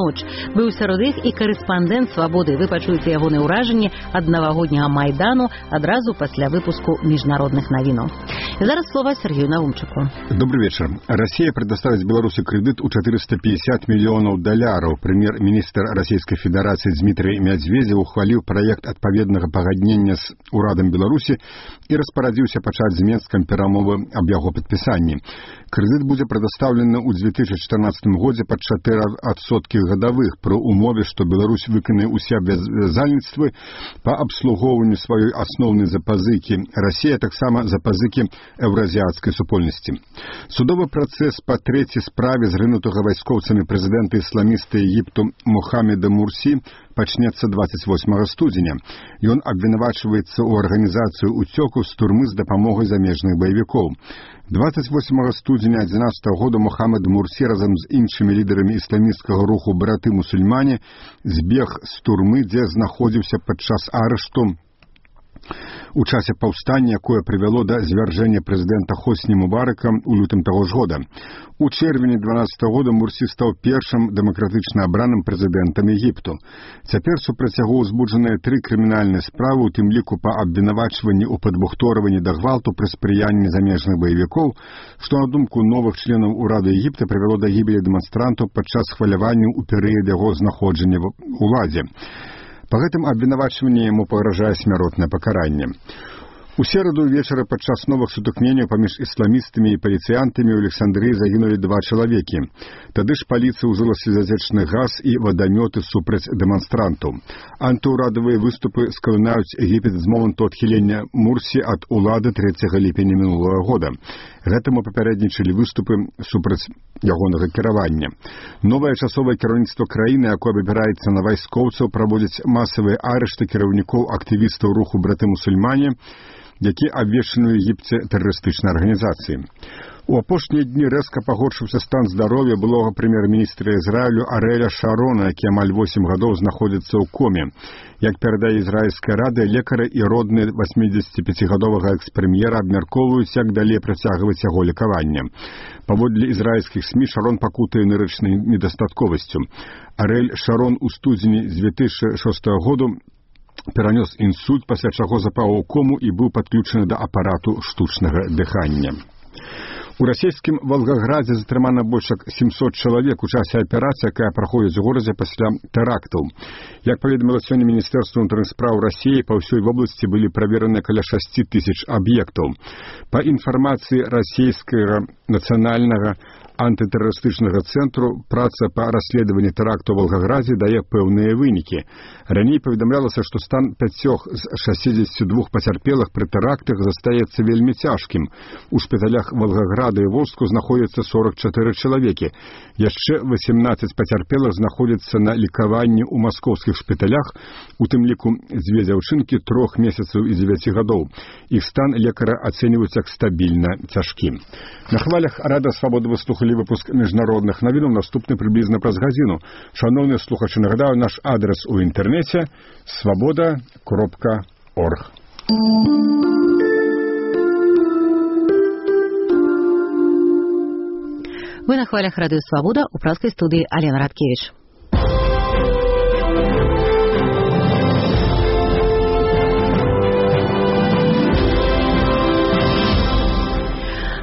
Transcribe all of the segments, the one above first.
ноч. Быў сярод іх і карэспандэнт «Свабоды». Вы пачуеце ягоныя ўражанні ад навагодняга Майдану адразу пасля выпуску міжнародных навінаў. І зараз слова Сергею Наумчыку. Добрый вечер. Россия предоставит Беларуси кредит у $450 миллионов. Премьер-министр Российской Федерации Дмитрий Медведев ухвалил проект отповедного погоднения с урадом Беларуси и распорядился пачаць з Менскам перамовы об яго подписании. Кредит будет предоставлен у 2014 годзе под 4% годовых при умове, что Беларусь выканае усе абавязальніцтвы по обслугоўванню сваёй асноўнай запазыкі. Россия таксама запазыкі еўразіяцкай супольнасці. Судовы працэс па трэцяй справе зрынутага вайскоўцамі прэзідэнта ісламіста Егіпту Мухаммеда Мурсі пачнецца 28 студзеня. Ён абвінавачваецца ў арганізацыі уцёку з турмы з дапамогай замежных баевікоў. 28 студзеня 2011 года Мухаммед Мурсі разам з іншымі лідарамі ісламісцкага руху браты-мусульмане збег з турмы, дзе знаходзіўся падчас арышту у часе паўстання, якое прывяло да звяржэння прэзідэнта Хосні Мубарака ў лютым таго ж года. У чэрвені 2012 года Мурсі стаў першым дэмакратычна абраным прэзідэнтам Егіпту. Цяпер супраць яго ўзбуджаныя 3 крымінальныя справы, у тым ліку па абвінавачванні ў падбухторванні да гвалту пры спрыянні замежных баевікоў, што на думку новых членаў урада Егіпта прывяло да гібелі дэманстрантаў падчас хваляванняў у перыяд яго знаходжання ў уладзе. По гэтым абвінавачванні яму пагражае смяротнае пакаранне. У сераду вечара падчас новых сутыкненняў паміж ісламістамі і паліцыянтамі ў Александрыі загінулі 2 чалавекі. Тады ж паліцыя ўжыла слезатечны газ і вадамёты супраць дэманстрантаў. Антыўрадавыя выступы скалынаюць Егіпет з моманту адхілення Мурсі ад улады 3 ліпеня мінулага года. Гэтаму папярэднічалі выступы супраць ягонага кіравання. Новае часовае кіраўніцтва краіны, якое выбіраецца на вайскоўцаў, праводзіць масавыя арышты кіраўнікоў актывістаў руху браты-мусульмане, які абвешчаны ў Егіпце тэрарыстычнай арганізацыі. У апошнія дні рэзка пагоршыўся стан здароўя былога прэм'ер-міністра Ізраілю Арэля Шарона, які амаль 8 гадоў знаходзіцца ў коме. Як перадае ізраільская рада, лекары і родныя 85-гадовага экс-прэм'ера абмяркоўваюць, як далей працягваць яго лекаванне. Паводле ізраільскіх СМІ Шарон пакутае нырычнай недастатковасцю. Арэль Шарон у студзені 2006 году перанёс інсульт, пасля чаго запаў у кому і быў падключаны да апарату штучнага дыхання. У расійскім Волгаградзе затрымана больш як 700 чалавек у часе аперацыі, якая праходзіць у горадзе пасля тэрактаў. Як паведаміла сёння Міністэрства ўнутраных спраў Расіі, па ўсёй вобласці былі правераны каля 6 тысяч аб'ектаў. Па інфармацыі расійскага нацыянальнага антытэрарыстычнага цэнтру, праца па расследаванні тэракту ў Волгаградзе дае пэўныя вынікі. Раней паведамлялася, што стан 5 з 62 пацярпелых пры тэрактах застаецца вельмі цяжкім. У шпіталях Волгаграда і Волжску знаходзяцца 44 чалавекі. Яшчэ 18 пацярпелых знаходзяцца на лекаванні ў маскоўскіх шпіталях, у тым ліку 2 дзяўчынкі 3 месяцаў і 9 гадоў. Іх стан лекара ацэньваюць як стабільна цяжкі. На хвалях Рада Свабоды выслухалі выпуск міжнародных навінаў, наступны прыблізна праз гадзіну. Шановныя слухачы, нагадаю, наш адрес у інтэрнэце svoboda.org. Вы на хвалях радыё «Свабода», у праскай студыі Алена Радкевіч.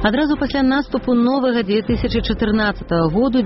Адразу пасля наступу новага 2014 году